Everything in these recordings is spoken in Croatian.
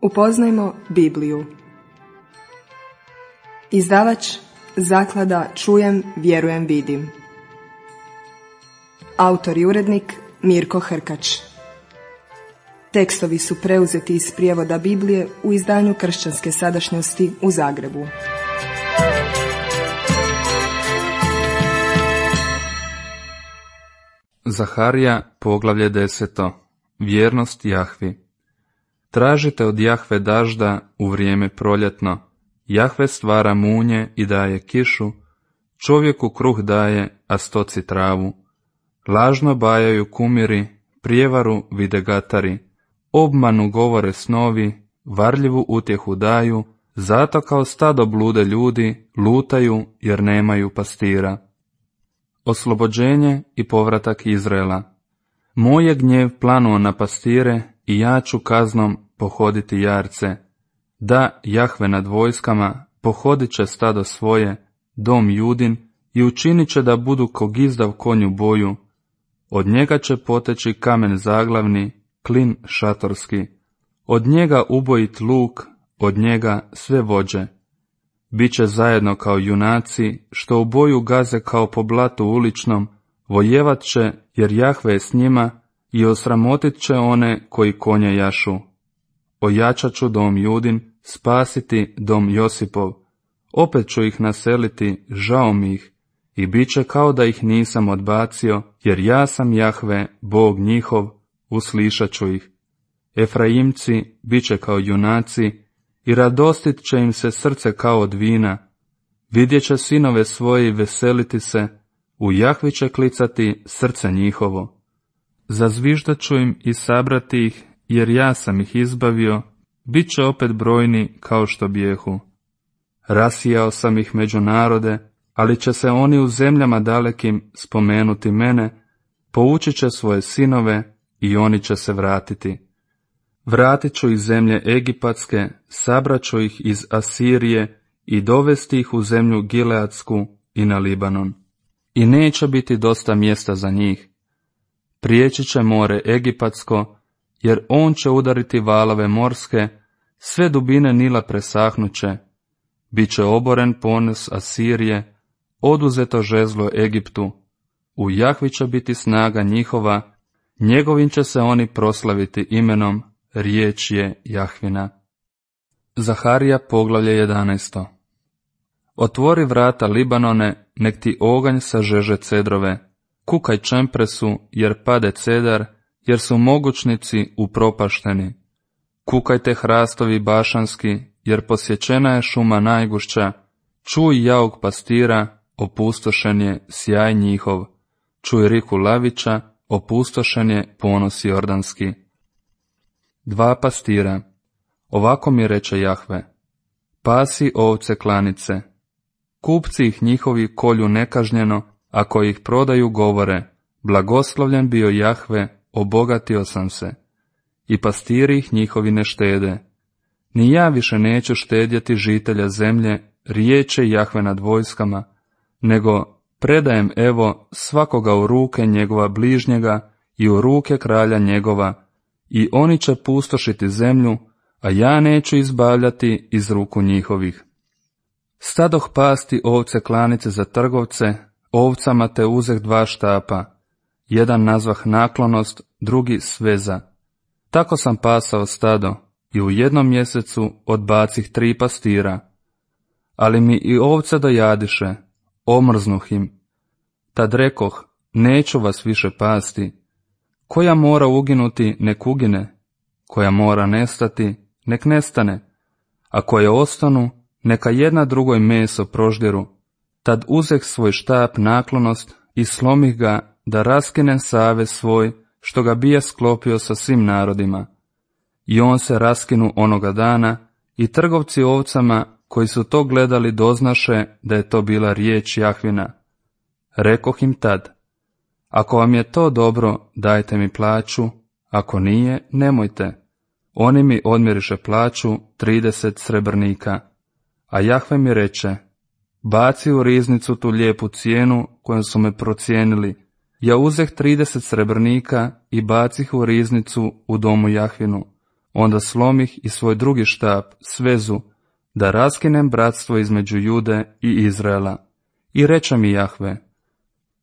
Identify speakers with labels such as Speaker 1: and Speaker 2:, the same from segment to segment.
Speaker 1: Upoznajmo Bibliju. Izdavač Zaklada Čujem, vjerujem, vidim. Autor i urednik Mirko Hrkač. Tekstovi su preuzeti iz prijevoda Biblije u izdanju Kršćanske sadašnjosti u Zagrebu.
Speaker 2: Zaharija, poglavlje 10. Vjernost Jahvi. Tražite od Jahve dažda u vrijeme proljetno. Jahve stvara munje i daje kišu, čovjeku kruh daje, a stoci travu. Lažno bajaju kumiri, prijevaru vide gatari, obmanu govore snovi, varljivu utjehu daju, zato kao stado blude ljudi, lutaju jer nemaju pastira. Oslobođenje i povratak Izraela. Moj je gnjev planuo na pastire i ja ću kaznom pohoditi jarce. Da, Jahve nad vojskama pohodit će stado svoje, dom Judin, i učinit će da budu ko gizdav konju boju. Od njega će poteći kamen zaglavni, klin šatorski. Od njega ubojit luk, od njega sve vođe. Biće zajedno kao junaci, što u boju gaze kao po blatu uličnom, vojevat će, jer Jahve je s njima, i osramotit će one koji konje jašu. Ojačat ću dom Judin, spasiti dom Josipov. Opet ću ih naseliti, žao mi ih, i bit će kao da ih nisam odbacio, jer ja sam Jahve, Bog njihov, uslišat ću ih. Efraimci bit će kao junaci, i radostit će im se srce kao od vina. Vidjet će sinove svoje i veseliti se, u Jahvi će klicati srce njihovo. Zazviždat ću im i sabrati ih, jer ja sam ih izbavio, bit će opet brojni kao što bijehu. Rasijao sam ih među narode, ali će se oni u zemljama dalekim spomenuti mene, poučit će svoje sinove i oni će se vratiti. Vratit ću iz zemlje Egipatske, sabrat ću ih iz Asirije i dovesti ih u zemlju Gileadsku i na Libanon. I neće biti dosta mjesta za njih. Prijeći će more Egipatsko, jer on će udariti valove morske, sve dubine Nila presahnuće. Biće oboren ponos Asirije, oduzeto žezlo Egiptu. U Jahvi će biti snaga njihova, njegovim će se oni proslaviti imenom, riječ je Jahvina. Zaharija, poglavlje 11. Otvori vrata Libanone, nek ti oganj sažeže cedrove. Kukaj čempresu, jer pade cedar, jer su mogućnici upropašteni. Kukajte hrastovi bašanski, jer posjećena je šuma najgušća. Čuj jauk pastira, opustošen je sjaj njihov. Čuj riku lavića, opustošen je ponos jordanski. Dva pastira. Ovako mi reče Jahve: pasi ovce klanice. Kupci ih njihovi kolju nekažnjeno, ako ih prodaju govore: blagoslovljen bio Jahve, obogatio sam se. I pastiri ih njihovi ne štede. Ni ja više neću štedjeti žitelja zemlje, riječ je Jahve nad vojskama, nego predajem evo svakoga u ruke njegova bližnjega i u ruke kralja njegova, i oni će pustošiti zemlju, a ja neću izbavljati iz ruku njihovih. Stadoh pasti ovce klanice za trgovce, ovcama te uzeh dva štapa, jedan nazvah naklonost, drugi sveza. Tako sam pasao stado, i u jednom mjesecu odbacih 3 pastira. Ali mi i ovce dojadiše, omrznuh im. Tad rekoh: neću vas više pasti. Koja mora uginuti, nek ugine, koja mora nestati, nek nestane, a koje ostanu, neka jedna drugoj meso proždiru. Tad uzeh svoj štap naklonost i slomih ga, da raskinem savez svoj, što ga bija sklopio sa svim narodima. I on se raskinu onoga dana, i trgovci ovcama, koji su to gledali, doznaše da je to bila riječ Jahvina. Rekoh im tad: ako vam je to dobro, dajte mi plaću, ako nije, nemojte. Oni mi odmjeriše plaću 30 srebrnika. A Jahve mi reče: baci u riznicu tu lijepu cijenu kojom su me procijenili. Ja uzeh 30 srebrnika i bacih u riznicu u domu Jahvinu. onda slomih i svoj drugi štap, svezu, da raskinem bratstvo između Jude i Izraela. I reče mi Jahve,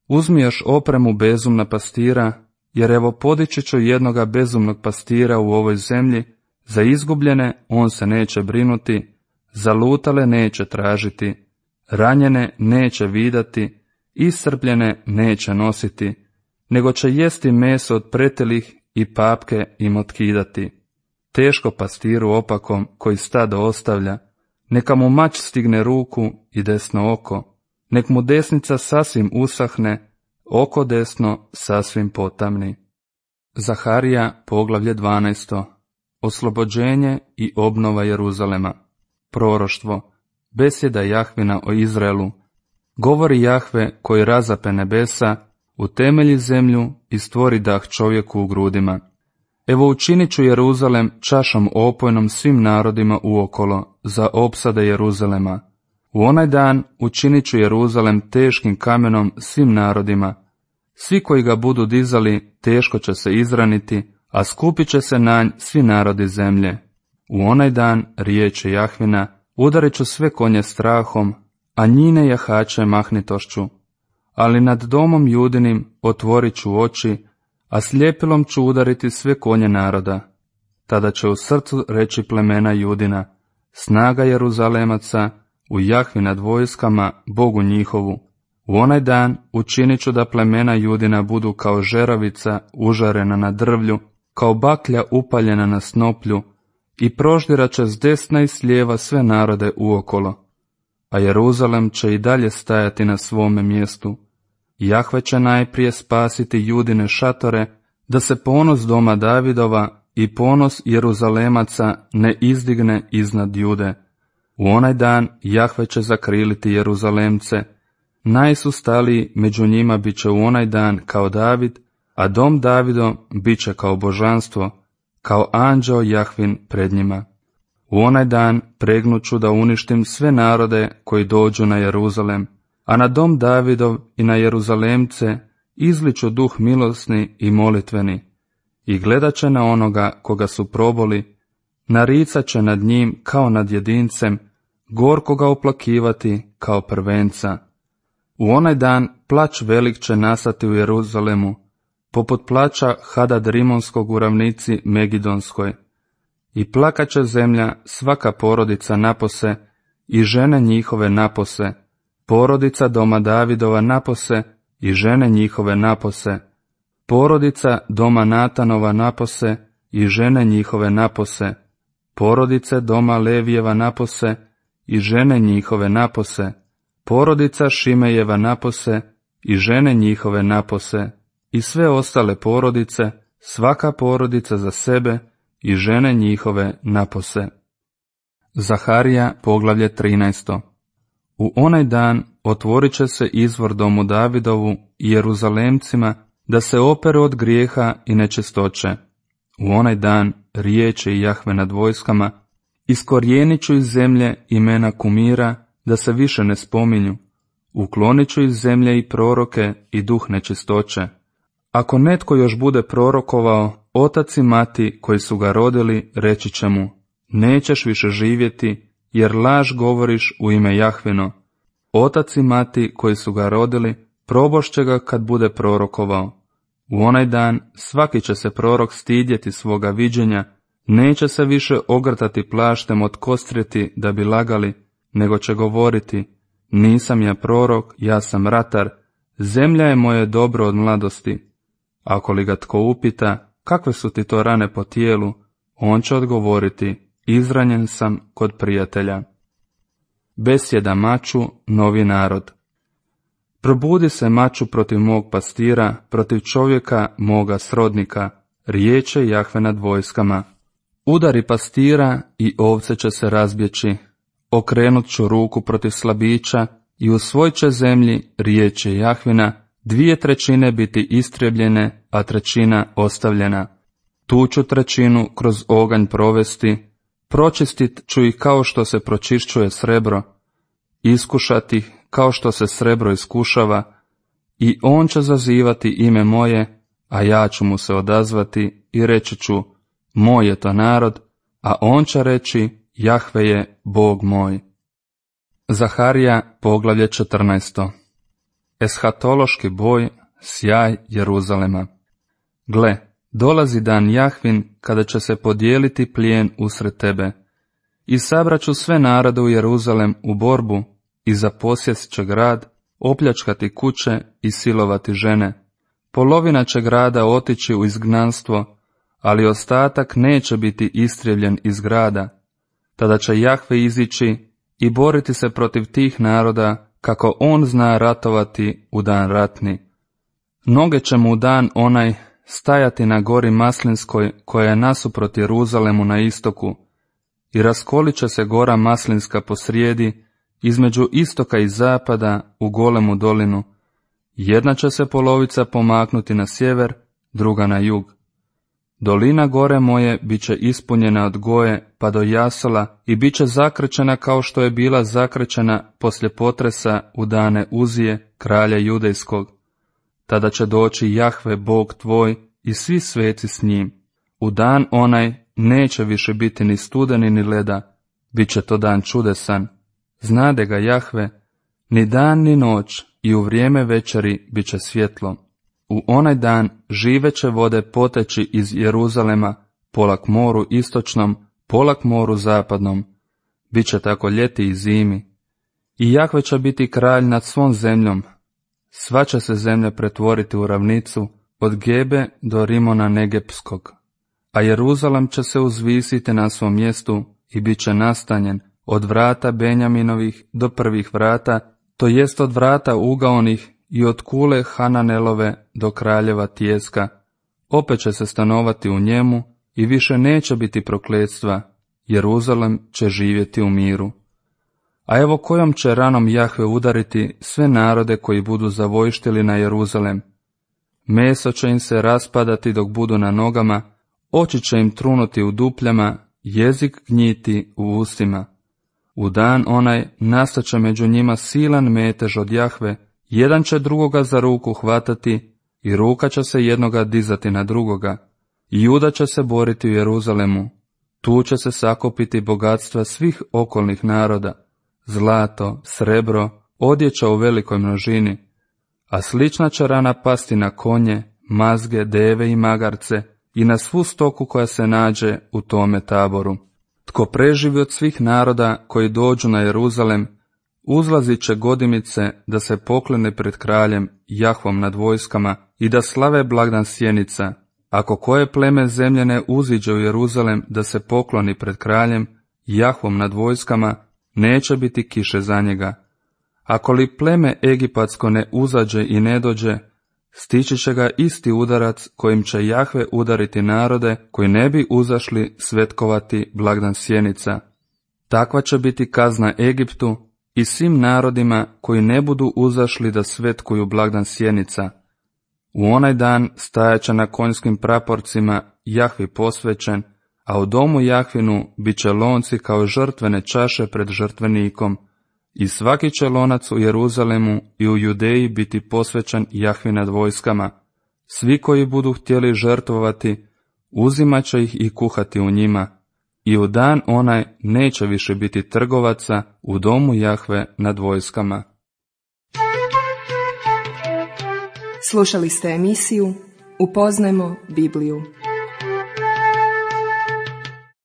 Speaker 2: uzmi još opremu bezumna pastira, jer evo podići ću jednoga bezumnog pastira u ovoj zemlji, za izgubljene on se neće brinuti, zalutale neće tražiti, ranjene neće vidati, iscrpljene neće nositi, nego će jesti meso od pretelih i papke im otkidati. Teško pastiru opakom koji stado ostavlja, neka mu mač stigne ruku i desno oko, nek mu desnica sasvim usahne, oko desno sasvim potamni. Zaharija, poglavlje 12. Oslobođenje i obnova Jeruzalema. Proroštvo. Besjeda Jahvina o Izraelu. Govori Jahve koji razape nebesa, utemelji zemlju i stvori dah čovjeku u grudima. Evo učinit ću Jeruzalem čašom opojnom svim narodima uokolo, za opsade Jeruzalema. U onaj dan učinit ću Jeruzalem teškim kamenom svim narodima. Svi koji ga budu dizali teško će se izraniti, a skupit će se na nj svi narodi zemlje. U onaj dan, riječi Jahvina, udarit ću sve konje strahom, a njine jahače mahnitošću. Ali nad domom Judinim otvorit ću oči, a sljepilom ću udariti sve konje naroda. Tada će u srcu reći plemena Judina, snaga Jeruzalemaca, u Jahvi nad vojskama, Bogu njihovu. U onaj dan učinit ću da plemena Judina budu kao žeravica užarena na drvlju, kao baklja upaljena na snoplju, i proždirat će s desna i s lijeva sve narode uokolo. A Jeruzalem će i dalje stajati na svome mjestu. Jahve će najprije spasiti Judine šatore, da se ponos doma Davidova i ponos Jeruzalemaca ne izdigne iznad Jude. U onaj dan Jahve će zakriliti Jeruzalemce, najsustaliji među njima bit će u onaj dan kao David, a dom Davidov bit će kao božanstvo, kao anđeo Jahvin pred njima. U onaj dan pregnuću da uništim sve narode koji dođu na Jeruzalem, a na dom Davidov i na Jeruzalemce izliču duh milosni i molitveni, i gledat će na onoga koga su proboli, naricat će nad njim kao nad jedincem, gorko ga oplakivati kao prvenca. U onaj dan plać velik će nastati u Jeruzalemu, poput plaća Hadad Rimonskog u ravnici Megidonskoj. I plakat će zemlja svaka porodica napose i žene njihove napose, porodica doma Davidova napose i žene njihove napose, porodica doma Natanova napose i žene njihove napose, porodice doma Levijeva napose i žene njihove napose, porodica Šimejeva napose i žene njihove napose, i sve ostale porodice, svaka porodica za sebe i žene njihove napose. Zaharija, poglavlje 13. U onaj dan otvorit će se izvor domu Davidovu i Jeruzalemcima, da se operu od grijeha i nečistoće. U onaj dan, riječi Jahve nad vojskama, iskorijenit ću iz zemlje imena kumira, da se više ne spominju. Uklonit ću iz zemlje i proroke i duh nečistoće. Ako netko još bude prorokovao, otac i mati koji su ga rodili reći će mu, nećeš više živjeti, jer laž govoriš u ime Jahvino. Otac i mati koji su ga rodili probošće ga kad bude prorokovao. U onaj dan svaki će se prorok stidjeti svoga viđenja, neće se više ogrtati plaštem od kostrijeti da bi lagali, nego će govoriti, nisam ja prorok, ja sam ratar, zemlja je moje dobro od mladosti. Ako li ga tko upita, kakve su ti to rane po tijelu, on će odgovoriti, izranjen sam kod prijatelja. Besjeda maču, novi narod. Probudi se maču protiv mog pastira, protiv čovjeka moga srodnika, riječe Jahve nad vojskama. Udari pastira i ovce će se razbjeći, okrenut ću ruku protiv slabića i u svoj će zemlji, riječe Jahvina, 2/3 biti istrijebljene, a 1/3 ostavljena. Tu ću 1/3 kroz oganj provesti, pročistit ću ih kao što se pročišćuje srebro, iskušati ih kao što se srebro iskušava, i on će zazivati ime moje, a ja ću mu se odazvati i reći ću, moj je to narod, a on će reći, Jahve je Bog moj. Zaharija, poglavlje 14. Eshatološki boj, sjaj Jeruzalema. Gle, dolazi dan Jahvin kada će se podijeliti plijen usred tebe. I sabraću sve narode u Jeruzalem u borbu i zaposjest će grad, opljačkati kuće i silovati žene. Polovina će grada otići u izgnanstvo, ali ostatak neće biti istrijevljen iz grada. Tada će Jahve izići i boriti se protiv tih naroda, kako on zna ratovati u dan ratni. Noge će mu u dan onaj stajati na gori Maslinskoj, koja je nasuprot Jeruzalemu na istoku, i raskolit će se gora Maslinska posrijedi, između istoka i zapada u golemu dolinu. Jedna će se polovica pomaknuti na sjever, druga na jug. Dolina gore moje bit će ispunjena od Goje pa do Jasola i bit će zakrčena kao što je bila zakrčena poslije potresa u dane Uzije, kralja Judejskog. Tada će doći Jahve, Bog tvoj, i svi sveci s njim. U dan onaj neće više biti ni studeni ni leda, bit će to dan čudesan. Znade ga Jahve, ni dan ni noć, i u vrijeme večeri bit će svjetlo. U onaj dan žive će vode poteći iz Jeruzalema, pola k moru istočnom, pola k moru zapadnom. Biće tako ljeti i zimi. I Jahve će biti kralj nad svom zemljom. Sva će se zemlja pretvoriti u ravnicu, od Gebe do Rimona Negepskog. A Jeruzalem će se uzvisiti na svom mjestu i bit će nastanjen od vrata Benjaminovih do prvih vrata, to jest od vrata ugaonih i od kule Hananelove do kraljeva Tijeska. Opet će se stanovati u njemu i više neće biti prokletstva. Jeruzalem će živjeti u miru. A evo kojom će ranom Jahve udariti sve narode koji budu zavojštili na Jeruzalem. Meso će im se raspadati dok budu na nogama, oči će im trunuti u dupljama, jezik gnjiti u ustima. U dan onaj nastat će među njima silan metež od Jahve, jedan će drugoga za ruku hvatati i ruka će se jednoga dizati na drugoga. Juda će se boriti u Jeruzalemu. Tu će se sakupiti bogatstva svih okolnih naroda, zlato, srebro, odjeća u velikoj množini, a slična će rana pasti na konje, mazge, deve i magarce i na svu stoku koja se nađe u tome taboru. Tko preživi od svih naroda koji dođu na Jeruzalem, uzlazit će godimice da se poklone pred kraljem Jahvom nad vojskama i da slave blagdan sjenica. Ako koje pleme zemljene uziđe u Jeruzalem da se pokloni pred kraljem Jahvom nad vojskama, neće biti kiše za njega. Ako li pleme egipatsko ne uzađe i ne dođe, stići će ga isti udarac kojim će Jahve udariti narode koji ne bi uzašli svetkovati blagdan sjenica. Takva će biti kazna Egiptu i svim narodima koji ne budu uzašli da svetkuju blagdan sjenica. U onaj dan stajaće na konjskim praporcima Jahvi posvećen, a u domu Jahvinu bit će lonci kao žrtvene čaše pred žrtvenikom, i svaki će lonac u Jeruzalemu i u Judeji biti posvećen Jahvi nad vojskama. Svi koji budu htjeli žrtvovati, uzimat će ih i kuhati u njima, i u dan onaj neće više biti trgovaca u domu Jahve nad vojskama.
Speaker 1: Slušali ste emisiju Upoznajmo Bibliju.